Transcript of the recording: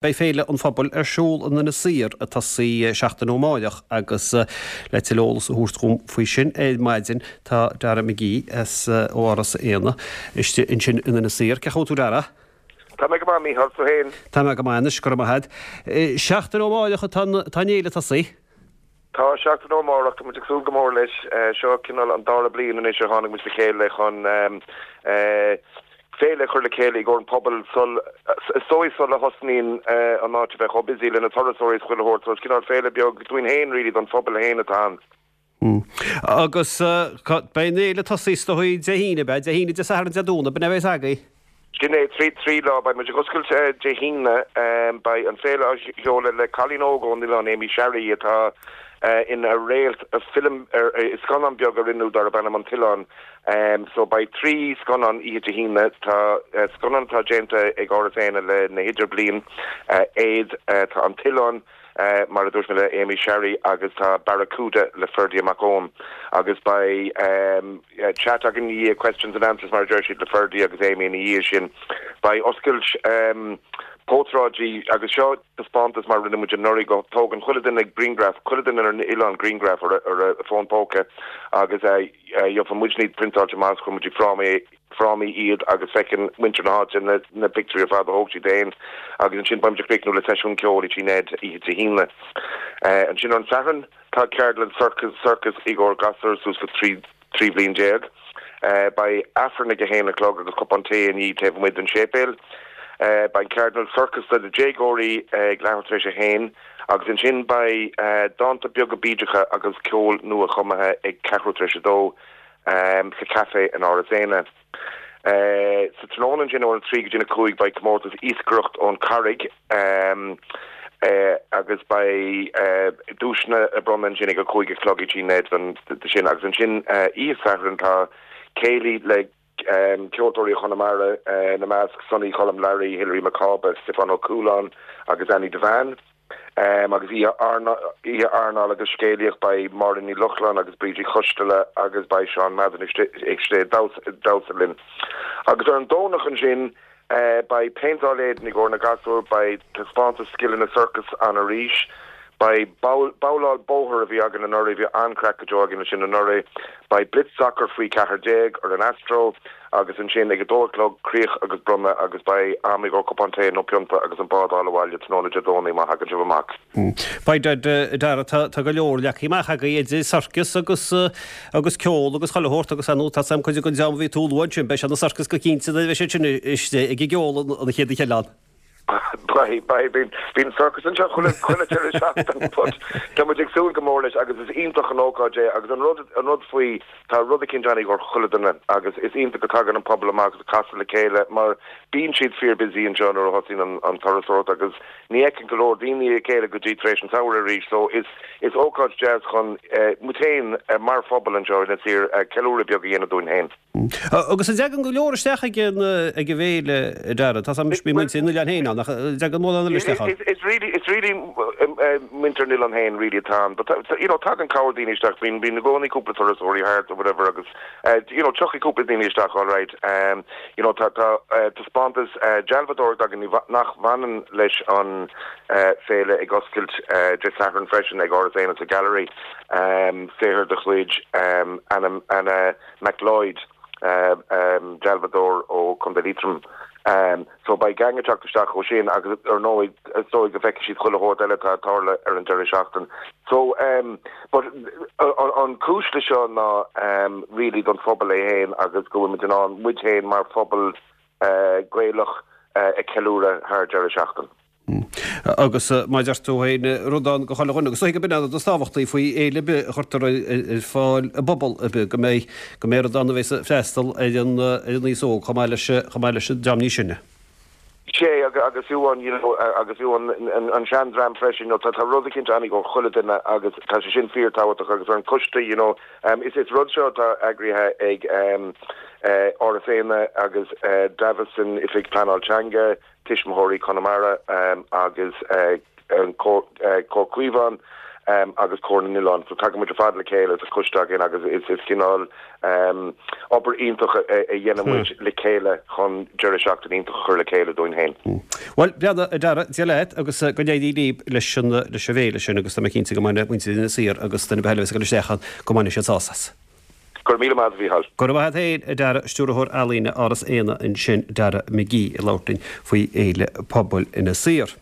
Beidh Féile an Phobail ar siúl in Inis Oírr ag tosaí seachtain ó amáireach agus le tuilleadh eolas a thabhairt dhom faoi sin ar maidin tá Dara McGee as ó Áras Éanna istigh ansin in Inis Oírr. Cén chaoi a bhfuil tú Dara? Tá mé go maith Mícheál, tú féin? Tá mé go maith anois, go raibh maith agat. Seachtain ó amáireach atá an fhéile ag tosaí? Tá, seachtain ó amárach, tá muid ag súil go mór leis. Seo cineál an dara bliain anois ar tháinig muid le chéile chun féile a chur le chéile i gcomhair an pobail sul, is dóigh sula thosnaíonn an áit a bheith chomh busy le na turasóirí is chuile shórt. So is cineál féile beag dúinn féin really, don phobal féin atá ann. Agus beidh an fhéile ag tosaí is dóigh Dé hAoine, beidh? Dé hAoine, Dé Sathairn, Dé Domhnaigh, b'in é a bheas agaibh? Sin é, trí lá. Beidh muid ag oscailt Dé hAoine. Beidh an féile á sheoladh le cailín óg ón oileán, Amy Sharry, atá ina réalt film, scannán beag a rinneadh darb ainm An tOileán. So beidh 3 scannán oíche Dé hAoine. Tá scannán atá déanta ag Áras Éanna le na hIdirbliain, Éad, tá An tOileán, mar a dúirt mé le Amy Sharry agus tá Barracuda le Ferdia Mac Eoin. Agus beidh chat againn ina dhiaidh, questions and answers mar a deir siad, le Ferdia agus Amy ina dhiaidh sin. Beidh oscailt portráidí agus seo taispeántas mar a rinne muid anuraidh go dtógann chuile duine grianghraf, chuile duine ar an oileán grianghraf ar a fón póca agus Gheobhaidh muidne iad priontáilte amach is cuirfidh muid i frámaí frámaí iad agus feiceann muintir na háite na na pictiúirí ar fad a thóg siad féin agus ansin beidh muid ag críochnú le seisiún ceoil i Tigh Ned oíche Dé hAoine. Ansin ar an Satharn tá ceardlann sorcas sorcas i gcomhair gasúir suas le 13 bhliain. Beidh Aifreann ag a haon a chlog agus cupán tae ina dhiaidh taobh amuigh den séipéal. Beidh an ceardlann sorcas do na déagóirí ag leathuair tar éis a haon. Agus ansin beidh dánta beaga bídeacha agus ceol nua-chumtha ag ceathrú tar éis a dó sa Café in Áras Éanna. Sa tráthnóna ansin óna 3 go dtí'n 5 beidh comórtas iascaireacht ón Charraig agus beidh duaiseanna á bronnadh ansin ag a 5 a chlog i Tigh Ned don sin. Agus ansin oíche Sathairn tá céilí le Ceoltóirí ó Chonamara ina measc, Sonny Choilm Learaí, Hilary Mac Cába, Stiofán Ó Cualáin agus Annie Devane. Agus oíche airneáil agus scéalaíocht beidh Máirín Ní Lochlainn agus Bríd Uí Choisteala agus beidh Seán Madden istigh ag damhsa linn. Agus ar an Domhnach ansin Beidh péinteáil éadain i gcomhair na gasúr, beidh taispeántas scileanna sorcais ann arís, beidh babhláil bóthair a bhí againn anuraidh, bhí an-chraic go deo againn leis sin anuraidh, beidh blitz sacair faoi 14 ar an Astro agus ansin ag a dó a chlog críoch agus bronnadh agus beidh am i gcomhair cupán tae nó pionta agus an bád a fháil abhaile tráthnóna Dé Domhnaigh má thagann sibh amach. Beidh, a Dara, tá go leor leagtha amach agaibh idir sorcas agus agus ceol agus chuile shórt agus ar ndóigh tá sam cuid den dream a bhí tú a lua ansin, beidh sé ina sorcas go cinnte nuair a bheidh siad sin istigh ag an gceol an chéad oíche eile ann. Beidh, beidh, bíonn, bíonn sorcas anseo chuile, chuile deireadh seachtaine but tá muid ag súil go mór leis agus is iontach an ócáid é agus an rud, an rud faoi, tá rud eicínt ann i gcomhair chuile duine agus is iontach go dtagann an pobal amach agus ag casadh le chéile mar bíonn siad fíor busy anseo nuair a thosaíonn an, an turasóireacht agus Ní fheiceann go leor daoine a chéile go dtí tar éis an tsamhraidh arís so is is ócáid deas chun muid féin mar phobal anseo in Inis Oírr ceiliúradh beag a dhéanamh dúinn féin. Agus an dtagann go leor isteach ag an ag an bhféile, a Dara? Tá 's a'm bíonn muintir an oileáin féin ann ach an dtagann mórán eile isteach ann? Is really is really muintir an oileáin féin really atá ann but you know tagann corr daoine isteach bíonn bíonn i gcónaí cúpla turasóirí thart or whatever agus you know tiocfaidh cúpla daoine isteach alright you know tá tá taispeántas dealbhádóireachta againn nach bhaineann leis an féile ag oscailt Dé Sathairn freisin ag Áras Éanna sa Gallery saothar de chuid Anna Anna McLeod dealbhádóir ó Chontae Liatroim. So beidh gang ag teacht isteach ó sin agus ar ndóigh is dóigh go bhfeicfidh siad chuile shórt eile atá ag tarlú ar an deireadh seachtain. So um but an cúis le seo ná um really don phobal é féin agus go bhfuil muid in ann muid féin mar phobal uh Gaelach uh a ceiliúradh thar deireadh seachtain. Agus mar a deir tú féin, rud ann do chuile dhuine. Agus is dóigh gurb in an rud is tábhachtaí faoi fhéile ar bith a chuirtear ar fáil i bpobal ar bith, go mbeidh, go mbeidh rud ann a bheas ag freastal ar an, ar an aos óg chomh maith leis, chomh maith leis an dream níos sine. Sea, agus fiú an, you know, agus fiú an, an seandream freisin, you know, tá, tá rud eicínt ann i gcomhair chuile duine agus tá sé sin fíorthábhachtach agus ar an coiste, you know, is, is rud seo atá eagraithe ag Áras Éanna agus Davison, Oifig Pleanáil Teanga, Tuismitheoirí Chonamara agus Comhar Caomhán. Agus Comhar na nOileán. So tagann muid ar fad le chéile sa choiste againn agus is cineál obair iontach a dhéanann muid le chéile chun deireadh seachtaine iontach a chur le chéile dúinn féin. Bhuel, breathnaigh, a Dara, Dia leat agus go n-éirí libh leis an leis an bhféile sin agus tá mé cinnte go mbainfidh muintir Inis Oírr agus duine ar bith eile a bheas ag dul isteach ann go mbainfidh siad sásamh as. Go raibh míle maith agat, a Mhícheáil. Go raibh maith agat féin, a Dara, Stiúrthóir Ealaíne Áras Éanna ansin, Dara McGee, ag labhairt linn faoi Fhéile Pobail Inis Oírr.